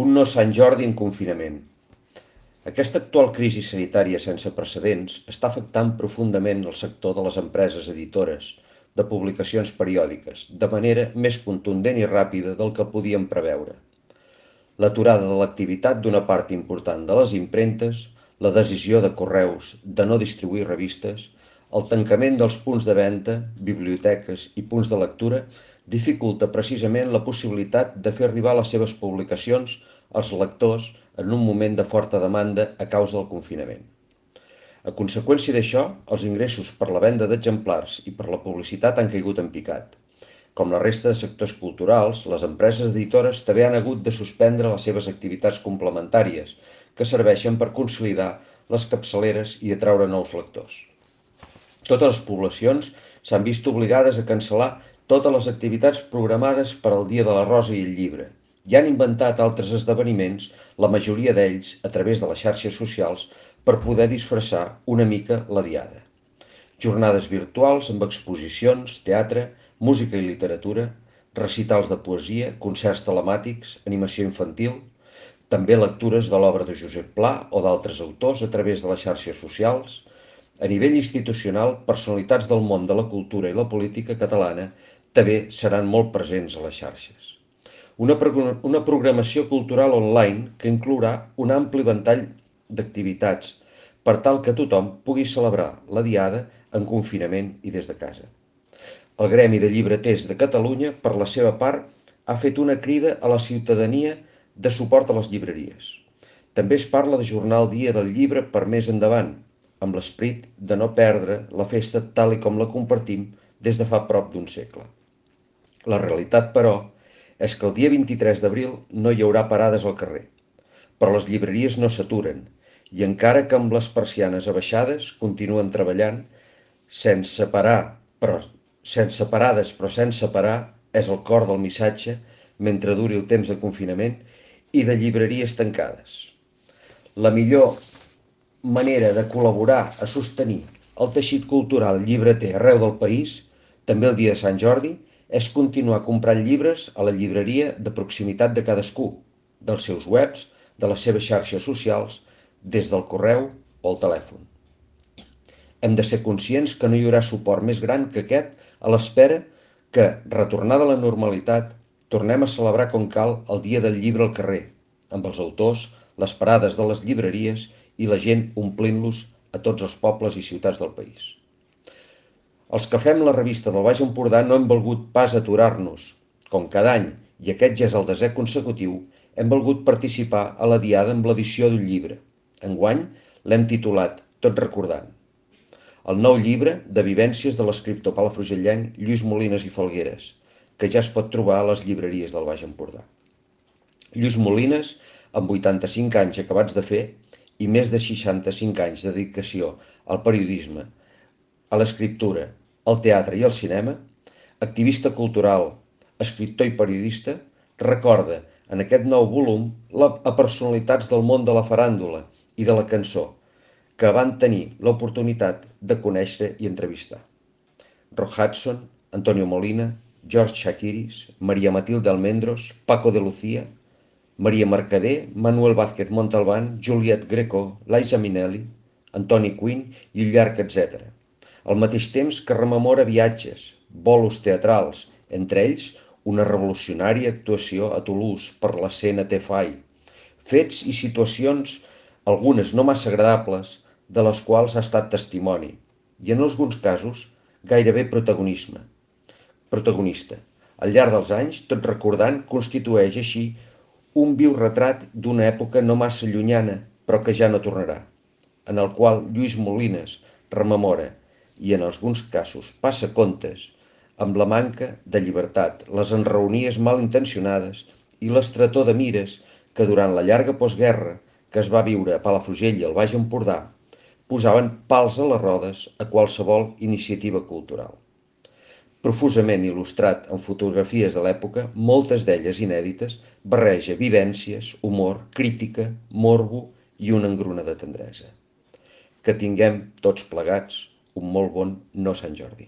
Un no Sant Jordi en confinament. Aquesta actual crisi sanitària sense precedents està afectant profundament el sector de les empreses editores de publicacions periòdiques, de manera més contundent i ràpida del que podíem preveure. L'aturada de l'activitat d'una part important de les impremtes, la decisió de Correus de no distribuir revistes, el tancament dels punts de venda, biblioteques i punts de lectura dificulta precisament la possibilitat de fer arribar les seves publicacions als lectors en un moment de forta demanda a causa del confinament. A conseqüència d'això, els ingressos per la venda d'exemplars i per la publicitat han caigut en picat. Com la resta de sectors culturals, les empreses editores també han hagut de suspendre les seves activitats complementàries, que serveixen per consolidar les capçaleres i atraure nous lectors. Totes les poblacions s'han vist obligades a cancel·lar totes les activitats programades per al Dia de la Rosa i el Llibre i han inventat altres esdeveniments, la majoria d'ells a través de les xarxes socials, per poder disfressar una mica la diada. Jornades virtuals amb exposicions, teatre, música i literatura, recitals de poesia, concerts telemàtics, animació infantil, també lectures de l'obra de Josep Pla o d'altres autors a través de les xarxes socials. A nivell institucional, personalitats del món de la cultura i la política catalana també seran molt presents a les xarxes. Una programació cultural online que inclourà un ampli ventall d'activitats per tal que tothom pugui celebrar la diada en confinament i des de casa. El Gremi de Llibreters de Catalunya, per la seva part, ha fet una crida a la ciutadania de suport a les llibreries. També es parla d'ajornar el Dia del Llibre per més endavant, amb l'esperit de no perdre la festa tal i com la compartim des de fa prop d'un segle. La realitat, però, és que el dia 23 d'abril no hi haurà parades al carrer, però les llibreries no s'aturen i encara que amb les persianes abaixades continuen treballant sense parades però sense parar és el cor del missatge mentre duri el temps de confinament i de llibreries tancades. La millor manera de col·laborar a sostenir el teixit cultural llibreter arreu del país, també el dia de Sant Jordi, és continuar comprant llibres a la llibreria de proximitat de cadascú, dels seus webs, de les seves xarxes socials, des del correu o el telèfon. Hem de ser conscients que no hi haurà suport més gran que aquest a l'espera que, retornada a la normalitat, tornem a celebrar com cal el Dia del Llibre al carrer, amb els autors, les parades de les llibreries i la gent omplint-los a tots els pobles i ciutats del país. Els que fem la revista del Baix Empordà no hem volgut pas aturar-nos. Com cada any, i aquest ja és el 10è consecutiu, hem volgut participar a la diada amb l'edició d'un llibre. Enguany l'hem titulat Tot recordant. El nou llibre de vivències de l'escriptor palafrugellenc Lluís Molinas i Falgueres, que ja es pot trobar a les llibreries del Baix Empordà. Lluís Molinas, amb 85 anys acabats de fer i més de 65 anys de dedicació al periodisme, a l'escriptura, al teatre i al cinema, activista cultural, escriptor i periodista, recorda en aquest nou volum a personalitats del món de la faràndula i de la cançó que van tenir l'oportunitat de conèixer i entrevistar. Rock Hudson, Antonio Molina, George Chakiris, Maria Matilde Almendros, Paco de Lucía, Maria Mercader, Manuel Vázquez Montalbán, Juliette Greco, Liza Minnelli, Antoni Quinn i un llarg etcètera. Al mateix temps que rememora viatges, bolos teatrals, entre ells una revolucionària actuació a Toulouse per l'escena Tefai, fets i situacions, algunes no massa agradables, de les quals ha estat testimoni, i en alguns casos gairebé protagonista. Al llarg dels anys, Tot recordant constitueix així un viu retrat d'una època no massa llunyana, però que ja no tornarà, en el qual Lluís Molinas rememora i en alguns casos passa comptes amb la manca de llibertat, les enraonies mal intencionades i l'estretor de mires que durant la llarga postguerra que es va viure a Palafrugell i al Baix Empordà posaven pals a les rodes a qualsevol iniciativa cultural. Profusament il·lustrat amb fotografies de l'època, moltes d'elles inèdites, barreja vivències, humor, crítica, morbo i una engruna de tendresa. Que tinguem tots plegats un molt bon no Sant Jordi.